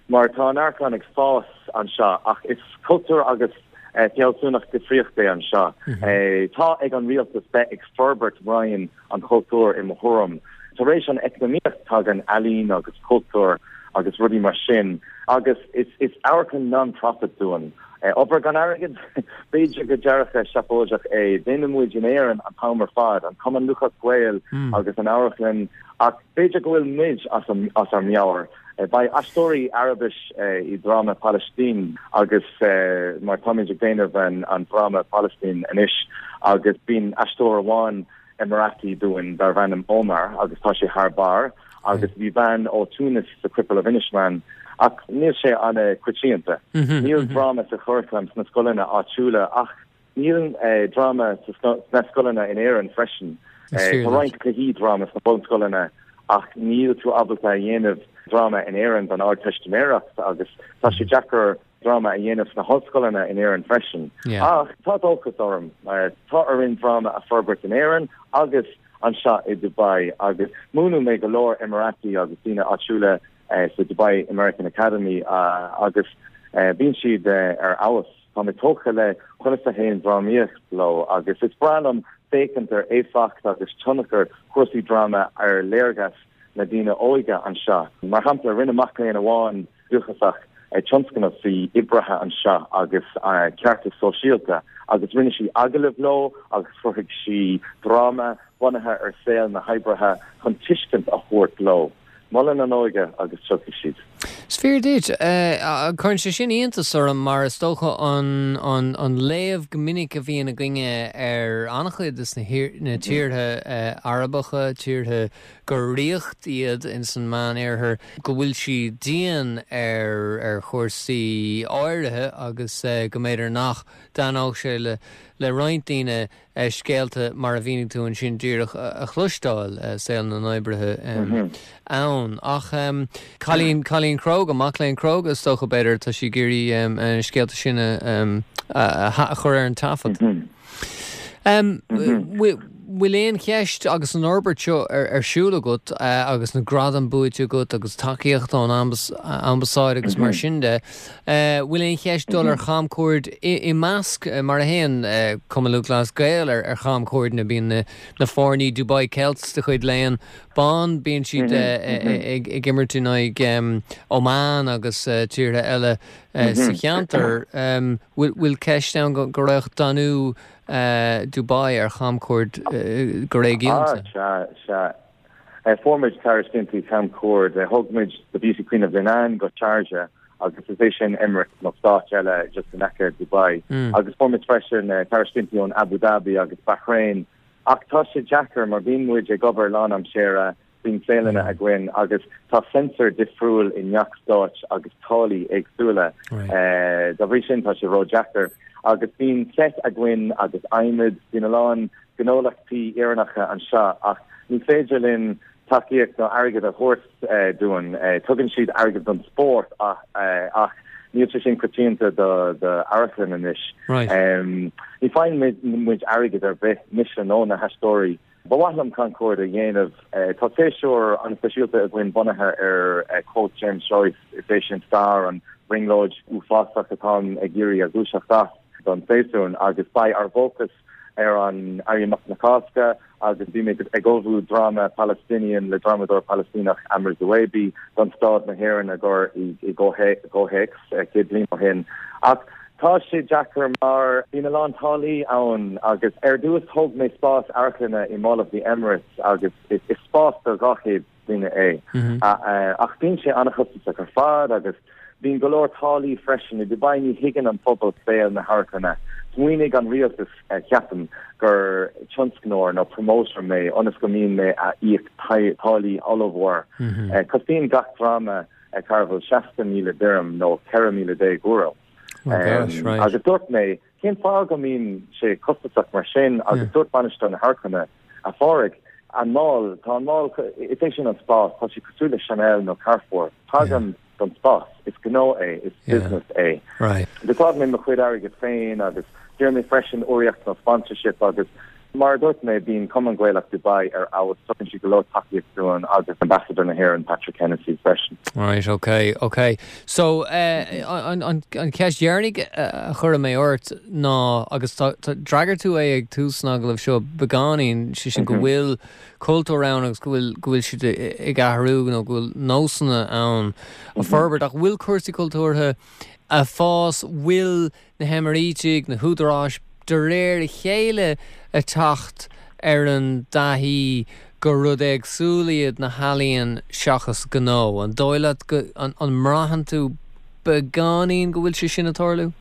mar tá an amharclann ag fás anseo ach is cultúr agus eh, fealsúnacht difríocht é anseo. Eh, tá ag an rialtas bheith ag forbairt roinn an chultúir i mo thuairim. Tar éis an eacnamaíocht tagann ealaín agus cultúr agus rudaí mar sin agus is is amharclann non-profit dúinn. Eh, obair gan airgead b'fhéidir go dearcadh seafóideach é déanann muid in Éirinn an t-am ar fad an Cumann Lúthchleas Gael Mm. agus an amharclann ach b'fhéidir go bhfuil muid as an as ár meabhair. Eh, Beidh aisteoirí Arabis eh, i dráma Palestine agus eh, mar táimid ag déanamh an, an dráma Palestine anois agus bíonn aisteoir amháin Emirati dúinn darb ainm Omar agus tá sé thar barr agus bhí bean ó Tunis sa Cripple of Inishmaan ach níl sé an-choitianta. Mhm, Níl dráma sa churaclam sna scoileanna áitiúla ach níl eh, dráma sa sco- sna scoileanna in Éirinn freisin. Is Eh, fíor Tá duit. roinnt cluichí dráma sna bunscoileanna ach níl tú ábalta a dhéanamh dráma in Éirinn don Ardteistiméireacht agus tá sé deacair dráma a dhéanamh sna hollscoileanna in Éirinn freisin. Yeah. Ach tá dóchas orm eh, tá orainn dráma a forbairt in Éirinn agus anseo i Dubai agus múineann mé go leor Emirati agus daoine áitiúla eh, sa Dubai American Academy uh, agus eh, bíonn siad eh, ar fheabhas Tá mé tógtha le conas a théann drámaíocht leo agus is breá liom féachaint ar éifeacht agus tionchar cúrsaí dráma ar léargas na daoine óige anseo. Mar shampla rinne mac léinn amháin dúchasach eh, tionscnamh faoi oibrithe anseo agus uh, ceartas sóisialta agus rinne sí agallamh leo agus chruthaigh sí dráma bunaithe ar saol na hoibrithe chun tuiscint a thabhairt leo. Molann an óige agus tiocfaidh siad. Is fíor duit cuireann sé sin iontas orm mar is dócha an, an, an léamh go minic a bhíonn againne ar an-chuid de na, na tíortha uh, Arabacha tíortha gur ríocht iad in san Meánoirthear go bhfuil siad dian ar ar chúrsaí áirithe agus uh, go mb'fhéidir nach dtaitneodh sé le le roinnt daoine scéalta mar a mhínigh tú ansin díreach a chloisteáil, saol na n-oibrithe ann. Ach cailín, cailín cróga, mac léinn cróga is dócha b'fhéidir, tá sí ag iarraidh na scéalta sin a chur ar an taifead. Bhfuil aon cheist agus an fhorbairt seo ar siúl agat agus na gradaim buaite agat agus tacaíocht ón ambasáid agus mar sin de, bhfuil aon cheist dul ar chamchuaird i measc mar a théann Cumann Lúthchleas Gael ar chamchuairdeanna, bíonn na foirní Dubai Celts de chuid Léon Ban, bíonn siad ag imirt in aghaidh Oman agus tíortha eile sa cheantar. Bhfuil ceist ann go raghadh Danú Dubai ar chamchuaird go réigiúnta? Ah, sea, sea. Fuair muid tairiscintí camchuaird. Thug muid The Beauty Queen of Leenane go Sharjah agus is é sin Emirates nó stáit eile just in aice Dubai. Agus fuair muid freisin tairiscintí ón Abu Dhabi agus Bahrain. Ach tá sé deacair mar bíonn muid ag obair lánaimseartha, bíonn saolanna againn agus tá censor difriúil i ngach stáit agus táillí éagsúla. Dá bhrí sin tá sé ró-deacair. Agus bíonn set againn agus adhmad, bíonn a lán gnólachtaí Éireannacha anseo ach ní féidir linn tacaíocht nó airgead a thabhairt dúinn. Tugann siad airgead don spórt ach níl sé sin coitianta do amharclann anois. Ní faigheann muid airgead ar bith, mise nó na haisteoirí. Ba mhaith liom camchuaird a dhéanamh. Tá séasúr an-speisialta againn bunaithe ar quote James Joyce, is é sin stair an bhrionglóid uafásach atáim ag iarraidh a dhúiseacht as don séasún agus beidh ár bhfócas ar an Éirí Amach na Cásca agus bhí mé ag ullmhú dráma Palestinian le drámadóir Palaistíneach Amr Zuwaibi don stáid na hÉireann a gcur i gcomhthéacs céad bliain ó shin. Ach tá sé deacair mar bíonn a lán táillí ann agus ar dtús thóg mé spás amharclainne i Mall of the Emirates agus is spás do dhá chéad duine é. Ach bíonn sé an-chostasach ar fad agus bíonn go leor táillí freisin. I Dubai ní thuigeann an pobal saol na hamharclainne. Smaoinigh an rialtas, ceapaim, gur tionscnóir nó promoter mé ionas go mbíonn mé a íoc táillí ollmhór. Cosnaíonn gach dráma Cearbhall seasca míle dirham nó ceithre míle déag euro. Agus dúirt mé, cén fáth go mbíonn sé costasach mar sin agus dúirt bainisteoir na hamharclainne, a Phádraig, an mall, tá an mall, is é sin an spás, tá sé cosúil le Chanel nó Carrefour. Tagaim don spás, is gnó é, is business é. D'úsáid mé mo chuid airgid féin agus d'iarr mé freisin urraíocht nó sponsorship agus mar a dúirt mé, bíonn Cumann Gaelach Dubai ar fheabhas, tugann siad go leor tacaíocht dúinn agus Ambassador na hÉireann Patrick Hennessy freisin. Right, ok, ok. So, an, an, an cheist dheireanach a chuirfidh mé ort ná, agus tá, tá, d'fhreagair tú é ag tús an agallaimh seo beagáinín, sé sin go bhfuil cultúr ann agus go bhfuil, go bhfuil siad ag athrú nó go bhfuil nósanna ann a forbairt, ach bhfuil cúrsaí cultúrtha a fás, bhfuil na hEimirítigh, na húdaráis, de réir a chéile ag teacht ar an dtaithí gur rud éagsúil iad na healaíon seachas gnó. An dóigh leat go, an, an mbraitheann tú beagáinín go bhfuil sé sin ag tarlú?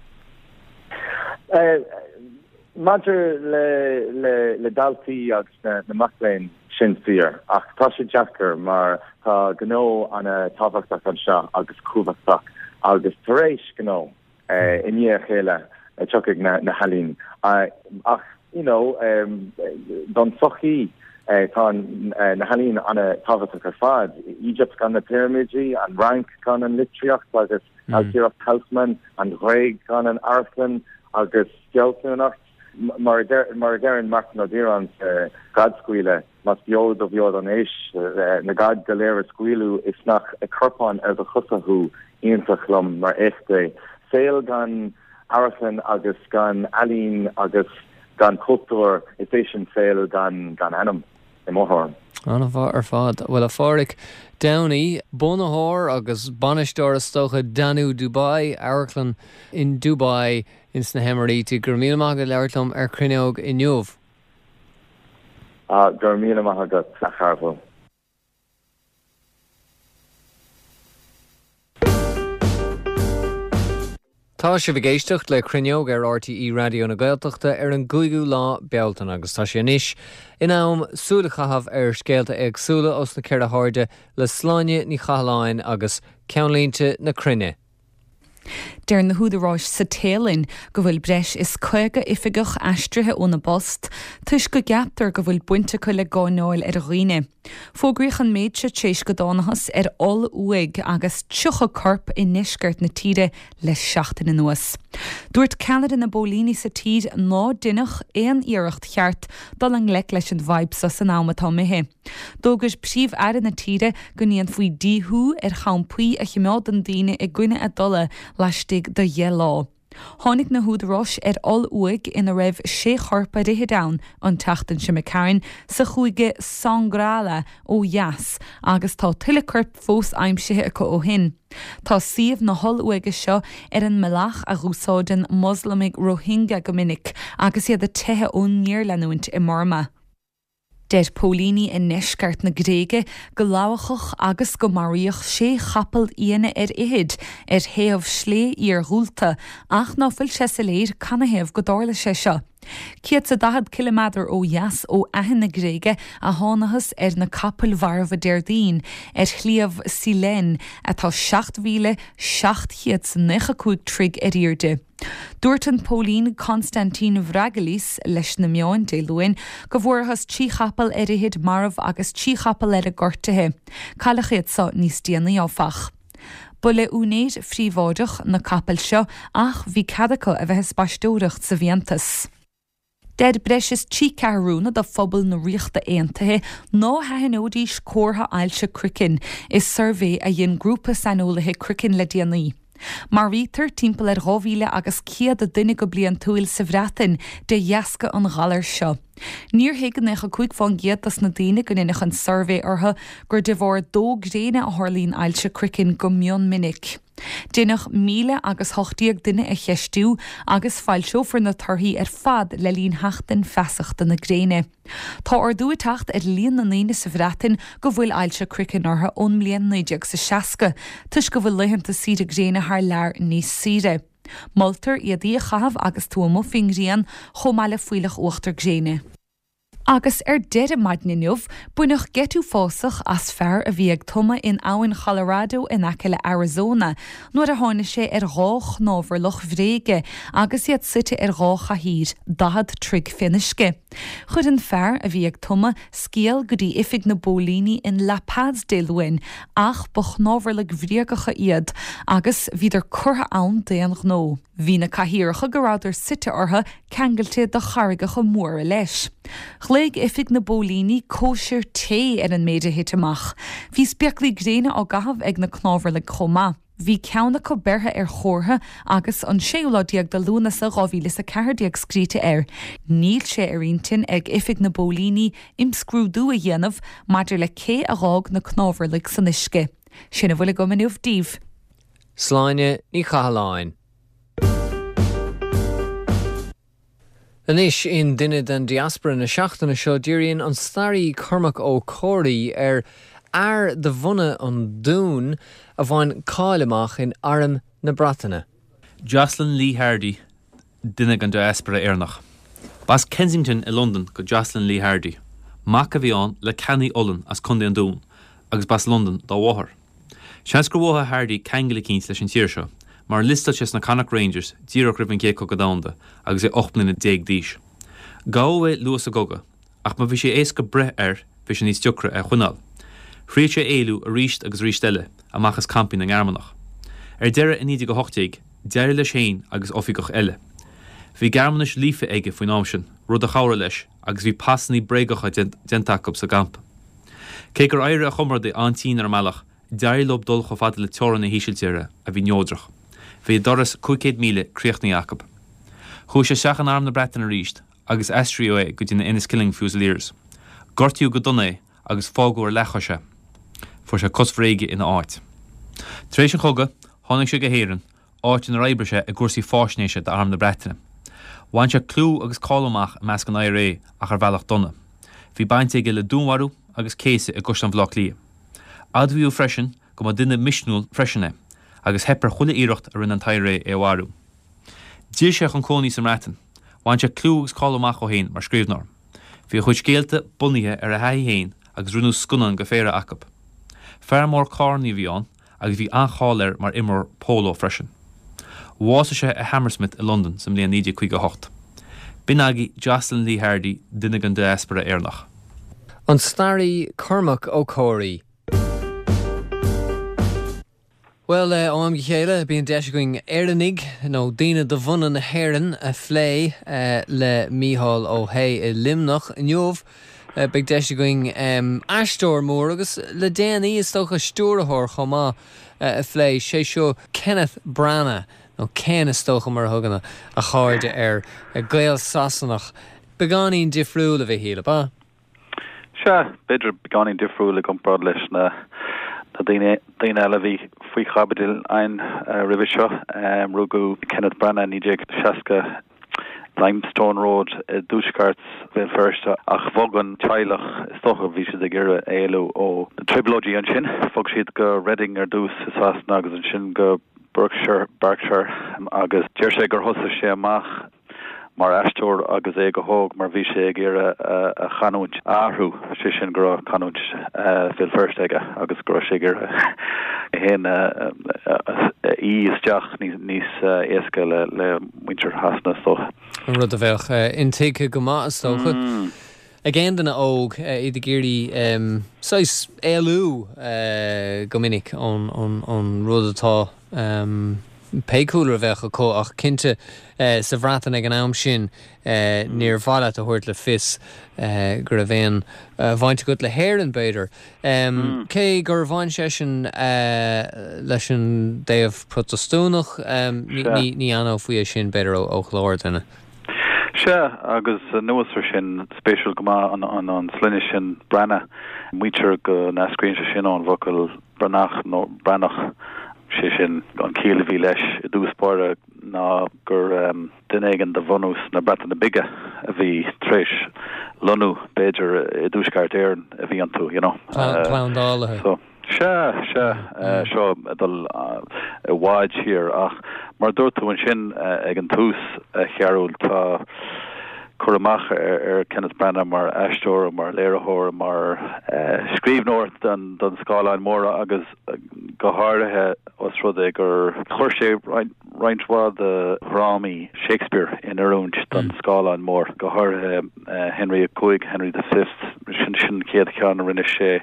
Maidir le, le, le daltaí agus na, na mac léinn, sin fíor, ach tá sé deacair mar tá gnó an-tábhachtach anseo agus cumhachtach agus tar éis gnó i ndiaidh a chéile tiocfaidh na, na healaín. Ach, you know, don tsochaí tá na healaín an-tábhachtach ar fad. Egypt gan na pirimidí, an Fhrainc gan an litríocht agus ailtireacht Haussmann, an Ghréig gan an amharclann agus fealsúnacht. Mar a deireann Máirtín Ó Direáin sa Ghadscaoileadh, más beo do bheo don aois, na gad go léir a scaoileadh is nach ag corpán ar do chosa thú, iontach liom mar éacht é. Saol gan amharclann agus gan ealaín agus gan cultúr, is é sin saol gan gan anam, i mo thuairim. An-mhaith ar fad. Bhuel, a Phádraig Downey, bunaitheoir agus bainisteoir is dócha Danú Dubai, amharclann in Dubai ins na hEimiríti. Go raibh míle maith agat labhairt liom ar Cruinneog inniu. Ah, go raibh míle maith agat, a Chearbhaill. Tá sibh ag éisteacht le Cruinneog ar R T E Raidió na Gaeltachta ar an gcúigiú lá Bealtaine agus tá sé anois in am súil a chaitheamh ar scéalta éagsúla os na ceithre hairde le Sláine Ní Chathalláin agus Ceannlínte na Cruinne. Deir na húdaráis sa Téalainn go bhfuil breis is caoga oifigeach aistrithe óna bpost, toisc go gceaptar go bhfuil baint acu le gáinneáil ar dhaoine. Fógraíodh an méid seo tar éis go dtánathas ar oll-uaigh agus tríocha corp i ndeisceart na tíre le seachtain anuas. Dúirt ceannaire na bpóilíní sa tír ná deineadh aon iarracht cheart dul i ngleic leis an bhfadhb seo san am atá imithe. D'fhógair Príomh-Aire na tíre go ndéanfaí díothú ar champaí a chimeádann daoine i gcoinne a dtola laistigh de dheich lá. Tháinig na húdaráis ar oll-uaigh ina raibh sé chorp ar fhichid ann an tseachtain seo imigh tharainn sa chúige Songkhla ó dheas agus tá tuilleadh coirp fós aimsithe acu ó shin. Tá suíomh na holl-uaighe seo ar an mbealach a dh'úsáideann Moslamaigh Rohingya go minic agus iad ag teitheadh ón ngéarleanúint i mBurma. Deir póilíní i ndeisceart na Gréige go lamhachadh agus go maraíodh sé chapall fhiáine ar fhichid ar thaobh slé iargúlta ach ná fuil sé soiléir canathaobh go dtarla sé seo. Céad 's a daichead ciliméadar ó dheas ó Aithin na Gréige a thánathas ar na capaill mharbha Déardaoin ar shliabh Cyllene atá seacht mhíle seacht chéad 's naocha cúig troigh ar airde. Dúirt an póilín Constantine Vragelis leis na meáin Dé Luain go bhfuarthas trí chapall ar fhichid marbh agus trí chapall eile gortaithe. Cailleadh iad seo níos déanaí áfach. Ba le úinéir phríobháideach na capaill seo ach bhí cead acu a bheith ag spaisteoireacht sa bhfiántas. Deir breis is trí ceathrúna de phobal na Ríochta Aontaithe ná haithneoidís comhartha ailse croicinn i suirbhé a dhein grúpa saineolaithe croicinn le déanaí. Maraítear timpeall ar dhá mhíle agus céad duine go bliantúil sa Bhreatain de dheasca an ghalair seo. Níor thuig naocha cúig fán gcéad dos na daoine go ndeineadh an suirbhé orthu gur de bharr dó gréine a tharlaíonn ailse croicinn go mion minic. Deineadh míle agus hocht déag duine a cheistiú agus foilseofar na torthaí ar fad le linn Sheachtain Feasachta na Gréine. Tá ardú ag teacht ar líon na ndaoine sa Bhreatain go bhfuil ailse croicinn orthu ón mbliain naoi déag 's a seasca, toisc go bhfuil laethanta saoire gréine thar lear níos saoire. Moltar éadaí a chaitheamh agus tú amuigh faoin ngrian, chomh maith le fuílleach uachtar gréine. Agus ar deireadh maidin inniu, baineadh geit uafásach as fear a bhí ag tumadh in abhainn Cholorado in aice le Arizona nuair a tháinig sé ar dhá chnámharlach bhréige agus iad suite ar dhá chathaoir, daichead troigh fén uisce. Chuir an fear a bhí ag tumadh scéal go dtí oifig na bpóilíní in La Paz Dé Luain ach ba chnámharlaigh bhréagacha iad agus bhíodar curtha ann d'aon ghnó. Bhí na cathaoireacha go rabhadar suite orthu ceangailte de charraigeacha móra leis. Ghlaoigh oifig na bpóilíní cóisir tae ar an méid a thit amach. Bhí spéaclaí gréine á gcaitheamh ag na cnámharlaigh chomh maith. Bhí ceann acu beirthe ar chomhartha agus an séú lá déag de Lúnasa dhá mhíle is a ceathair déag scríte air. Níl sé ar intinn ag oifig na bpóilíní imscrúdú a dhéanamh maidir le cé a dh'fhág na cnámharlaigh san uisce. Sin a bhfuil agam inniu daoibh. Sláine Ní Chathalláin. Anois in Duine den Diaspora na seachtaine seo díríonn an staraí Cormac Ó Comhraí ar fhear de bhunadh an Dúin a bhain cáil amach in Arm na Breataine. Jocelyn Lee Hardy, duine den diaspora Éireannach. B'as Kensington i Londain go Jocelyn Lee Hardy. Mac a bhí ann le ceannaí olann as Contae an Dúin agus b'as Londain dá mháthair. Seans gur mhothaigh Hardy ceangal eicínt leis an tír seo, mar liostáil sé sna Connacht Rangers díreach roimh an gCéad Chogadh Domhanda agus é ocht mbliana déag d'aois. Gabhadh é luath sa gcogadh, ach má bhí sé éasca breith air, bhí sé níos deacra é a choinneáil. Thriail sé éalú arís agus arís eile, amach as campaí na nGearmánach. Ar deireadh i naoi déag a hocht déag, d'éirigh leis féin agus oifigeach eile. Bhí Gearmáinis líofa aige faoin am sin, rud a chabhraigh leis, agus bhí pasanna bréagacha déanta acu sa gcampa. Cé gur éirigh a chomrádaí an-tinn ar an mbealach, D'éirigh leo dul chomh fada le teorainn na hÍsiltíre, a bhí neodrach. Bhí a dturas cúig chéad míle críochnaithe acu. Chuaigh sé isteach in Arm na Breataine arís agus aistríodh é go dtí na Inniskilling Fusiliers. Gortaíodh go dona é agus fágadh ar leathchois é. Fuair sé cos bhréige ina áit. Tar éis an chogaidh, tháinig sé go hÉirinn, áit inar oibrigh sé i gcúrsaí fáisnéise d'Arm na Breataine. Bhain sé clú agus cáil amach i measc an I R A ach ar bhealach dona. Bhí baint aige le dúnmharú agus céasadh i gCaisleán Bhaile Átha Cliath. Admhaíodh freisin go mba duine misniúil freisin é, agus theip ar chuile iarracht a rinne an t-I R A é a mharú. D'fhill sé chun cónaí sa mBreatain. Bhain sé clú agus cáil amach dó féin mar scríbhneoir. Bhí a chuid scéalta bunaithe ar a thaithí féin agus rinneadh scannáin go phéire acu. Fear mór carrannaí a bhí ann agus bhí an-cháil air mar imreoir póló freisin. Bhásaigh sé i Hammersmith i Londain sa mbliain naoi déag caoga a hocht. B'in agaibh Jocelyn Lee Hardy, duine den diaspora Éireannach. An staraí Cormac Ó Comhraí. Bhuel, ó am go chéile bíonn deis againn Éireannaigh nó daoine de bhunadh na hÉireann a phlé le Mícheál Ó hAodha i Luimneach. Inniu beidh deis againn aisteoir mór agus le déanaí is dócha stiúrthóir chomh maith a phlé, sé seo Kenneth Branagh nó Ken is dócha mar a thugann a chairde air, Gael-Sasanach. Beagáinín difriúil a Mhichíl, ab ea? Sea, b'fhéidir beagáinín difriúil i gcomparáid leis na na daoine daoine eile a bhí faoi chaibidil againn roimhe seo. Rugadh Kenneth Branagh naoi déag seasca Limestone Road i dtuaisceart Bhéal Feirste ach bhog an teaghlach, is dócha bhí siad ag iarraidh éalú ó na trioblóidí ansin, bhog siad go Reading ar dtús i Sasana agus ansin go Berkshire, Berkshire agus deir sé gur thosaigh sé amach mar aisteoir agus é go hóg mar bhí sé ag iarraidh a chanúint a athrú, sé sin go raibh canúint Bhéal Feirste aige agus go raibh sé ag iarraidh é féin a fhí isteach níos éasca le muintir Shasana is dócha. An rud a bheadh intuigthe go maith is dócha ag aon duine óg, iad ag iarraidh saghas éalú go minic ón rud atá pé cúlra a bheadh acu ach cinnte sa Bhreatain ag an am sin níor mhaith leat a thabhairt le fios go raibh aon bhaint agat le hÉirinn b'fhéidir. Cé gur bhain seisean leis an dtaobh Protastúnach ní aithneofaí é sin b'fhéidir ó chlár duine. Sea, agus anuas ar sin, spéisiúil go maith an sloinne sin Branagh, maítear go n-eascraíonn sé sin ón bhfocal Branach nó Breatnach. Sé sin, an chiall a bhí leis i dtús báire ná gur duine éigin de bhunús na Breataine Bige a bhí tar éis lonnú, b'fhéidir, i dTuaisceart Éireann a bhí iontu, you know. Plandálaithe. So, sea, sea, seo ag dul i bhfad siar ach mar a dúirt tú ansin ag an tús, a Chearúil, tá cur amach ar Kenneth Branagh mar aisteoir, mar léiritheoir, mar scríbhneoir don scáileán mór agus go háirithe os rud é gur chuir sé roinnt mhaith de dhrámaí Shakespeare in oiriúint don scáileán mór, go háirithe Henry a Cúig, Henry the Fifth, sin sin an chéad cheann a rinne sé,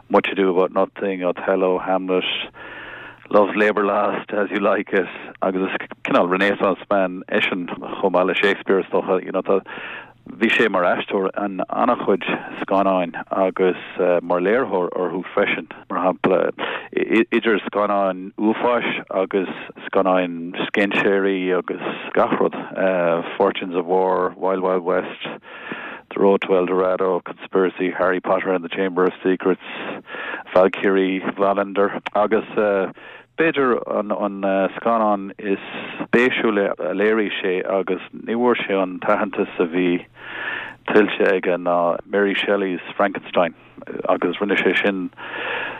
Much Ado About Nothing, Othello, Hamlet, Love's Labour Lost, As You Like It, agus is cineál Renaissance man eisean chomh maith le Shakespeare is dócha, you know, tá Bhí sé mar aisteoir in an-chuid scannáin agus mar léiritheoir orthu freisin, mar shampla idir scannáin uafáis agus scannáin scéinséirí agus gach rud, Fortunes of War, Wild Wild West, The Road to El Dorado, Conspiracy, Harry Potter and the Chamber of Secrets, Valkyrie, Wallander agus. B'fhéidir an scannán is spéisiúla a léirigh sé agus ní bhfuair sé an t-aitheantas a bhí tuillte aige ná Mary Shelley's Frankenstein agus rinne sé sin,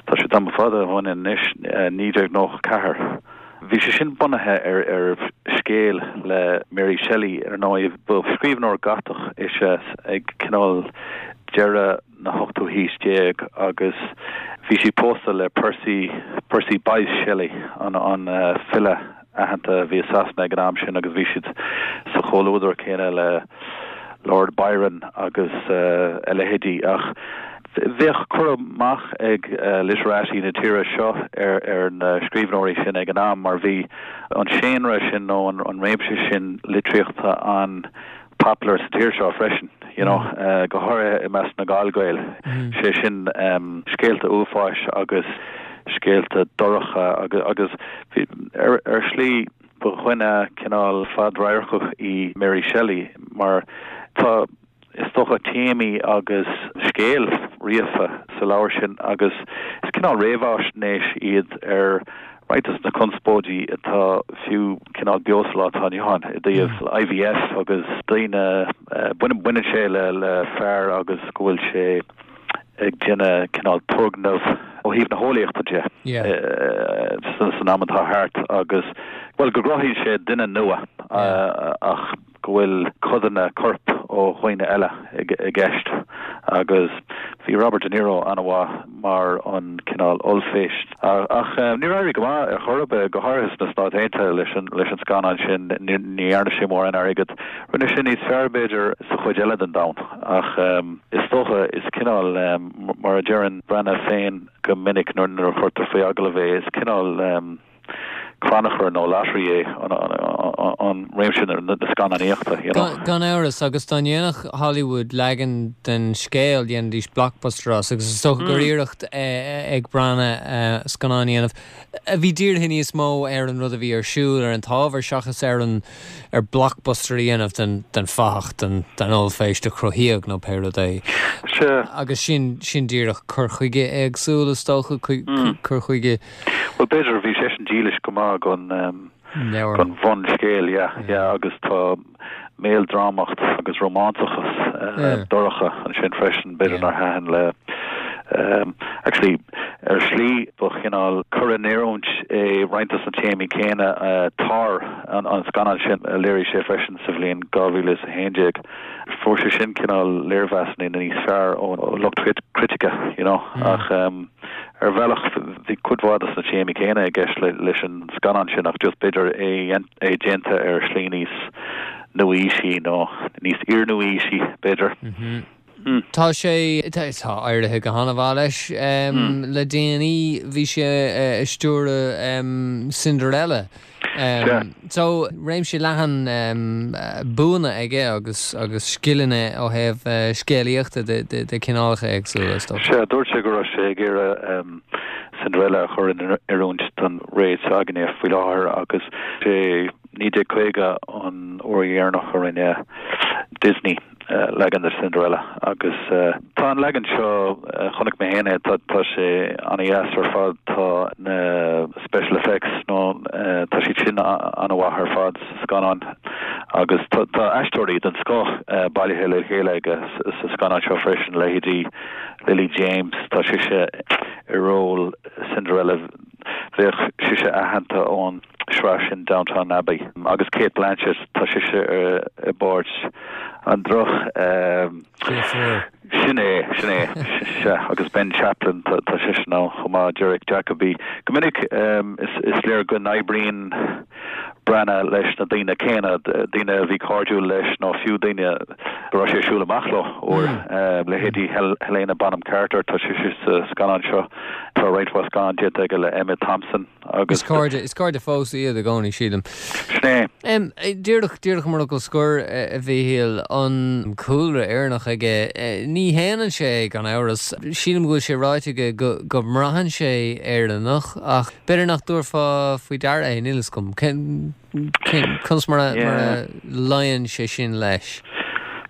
tá sé tamall fada ó shin anois, naoi déag nócha ceathair. Bhí sé sin bunaithe ar ar scéal le Mary Shelley, ar ndóigh. Ba scríbhneoir Gotach ise ag cineál deireadh na hochtú haois déag agus bhí sí pósta le Percy, Percy Bysshe Shelley, an an file aitheanta a bhí i Sasana ag an am sin agus bhí siad sa chomhluadar céanna le Lord Byron agus a leithéidí ach bheadh cur amach ag literati na tíre seo ar ar na scríbhneoirí sin ag an am mar bhí an séanra sin nó an an réimse sin litríochta an popular sa tír seo freisin, you know, go háirithe i measc na Gall-Ghael, sé sin scéalta uafáis agus scéalta dorcha agus agus ar ar shlí ba dhuine cineál fadradharcach í Mary Shelley mar tá is dócha téamaí agus scéal ríofa sa leabhar sin agus is cineál réamhaisnéis iad ar roinnt de na conspóidí atá fiú cineál beo sa lá atá inniu ann i dtaobh IVF agus daoine, baineann sé le le fear agus go bhfuil sé ag déanamh cineál turgnamh ó thaobh na heolaíochta de san am atá thart agus bhuel go gcruthaíonn sé duine nua ach go bhfuil codanna coirp ó dhaoine eile i gceist agus Bhí Robert De Niro an-mhaith mar an cineál ollphéist. Ach níor éirigh go maith ar chor ar bith, go háirithe sna Stáit Aontaithe leis an leis an scannán sin, ní dhearna sé mórán airgid. Rinne sé níos fearr b'fhéidir sa chuid eile den domhan ach is dócha is cineál mar a deireann Branagh féin go minic nuair a chuirtear faoi agallamh é, is cineál crannchur nó lottery é an réimse na scannánaíochta, you know. Gan amhras, agus dá ndéanfadh Hollywood leagan den scéal, dhéanfaidís blockbuster as, agus is dócha gur iarracht ag Branagh scannán a dhéanamh a bhí dírithe níos mó ar an rud a bhí ar siúl, ar an t-ábhar, seachas ar an ar blockbuster a dhéanamh den den fathach, den den ollphéist a cruthaíodh nó pé rud é. Sea. Agus sin sin díreach cur chuige éagsúil is dócha, cur chuige. Bhuel, b'fhéidir, bhí seisean dílis go maith don don bhunscéal, yeah, yeah, agus tá méaldrámacht agus rómánsachas dorcha ansin freisin, b'fhéidir nár thaitin le actually ar shlí ba chineál cur in oiriúint é roinnt dos na téamaí céanna Tár an an scannán sin a léirigh sé freisin sa bhliain dhá mhíle is a haon déag. Fuair sé sin cineál léirmheasanna níos fearr ó lucht critice, you know, ach ar bhealach bhí cuid mhaith dos na téamaí céanna i gceist leis an scannán sin ach just b'fhéidir é é déanta ar shlí níos nua-aoisí nó níos iar-nua-aoisí b'fhéidir. Tá sé tá éirithe go han-mhaith leis le déanaí bhí sé ag stiúradh Cinderella. So réimse leathan buanna aige agus agus scileanna ó thaobh scéalaíochta de de chineálacha éagsúla is dócha. Sea, dúirt sé go raibh sé ag iarraidh Cinderella a chur in oiriúint don ré s'againne faoi láthair agus sé naoi déag caoga an uair dheireanach a rinne Disney leagan de Cinderella agus tá an leagan seo, chonaic mé féin é, tá tá sé an-dheas ar fad, tá na special effects nó tá siad sin an-mhaith ar fad sa scannán agus tá tá aisteoirí den scoth bailithe le chéile aige sa scannán seo freisin, leithéidí Lily James, tá sise i ról Cinderella, bheadh sise aitheanta ón sraith sin Downton Abbey agus Cate Blanchett, tá sise i bpáirt an droch Sin é, sin é, sea, agus Ben Chaplin, tá seisean ann chomh maith, Derek Jacobi. Go minic is léir go n-oibríonn Branagh leis na daoine céanna, daoine a bhí cairdiúil leis nó fiú daoine go raibh sé ag siúl amach leo uair, leithéidí Helena Bonham Carter, tá sise sa scannán seo, tá roinnt mhaith scannán déanta aige le Emma Thompson agus. Is cairde, is cairde fós iad i gcónaí, sílim. Sin é. Díreach, díreach mar fhocal scoir, a Mhíchíl, an cúlra Éireannach aige, ní shéanann sé é gan amhras. Sílim go bhfuil sé ráite aige go, go mbraitheann sé Éireannach ach b'fhéidir nach dtabharfá faoi deara é, níl fhios agam. Cén, cén, conas mar a, mar a luíonn sé sin leis?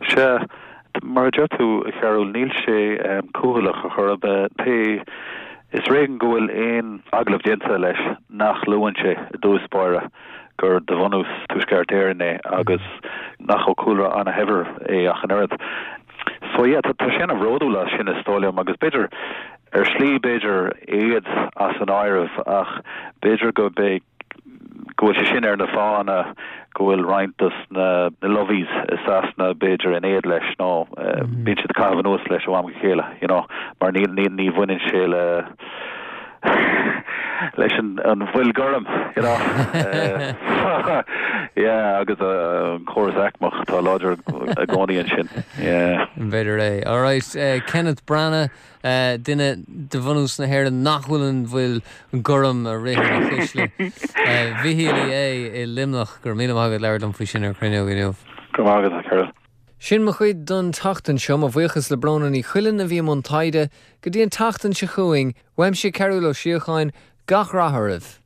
Sea, mar a deir tú, a Chearúil, níl sé cúthaileach ar chor ar bith. Pé, is ar éigean go bhfuil aon agallamh déanta leis nach luann sé i dtús báire gur de bhunús Tuaisceart Éireann é agus nach ó chúlra ana-shaibhir é ach an oiread. So yeah, tá sé ana-bhródúil as sin is dóigh liom agus b'fhéidir, ar shlí b'fhéidir éad as an áireamh ach b'fhéidir go b'é go bhfuil sé sin ar na fáthanna go bhfuil roinnt dos na lovies i Sasana b'fhéidir in éad leis nó bíonn siad ag caitheamh anuas leis ó am go chéile you know mar ní ní ní bhaineann sé le leis an an bhfuil gorm you know yeah agus an córas aicmeach atá láidir i gcónaí ansin yeah. B'fhéidir é. All right, uh, Kenneth Branagh, uh, duine de bhunús na hÉireann nach bhfuil an bhfuil gorm ag rith ina chuisle. Uh, Mhichíl Uí Aodha i Luimneach go raibh míle maith agat labhairt liom faoi sin ar Cruinneog inniu. Go raibh maith agat, a Chearúil. Sin mo chuid don tseachtain seo, mo bhuíochas le Bróna Ní Chuilinn a bhí i mbun taighde, go dtí an tseachtain seo chugainn, uaimse Cearúl Ó Síocháin, gach rath oraibh.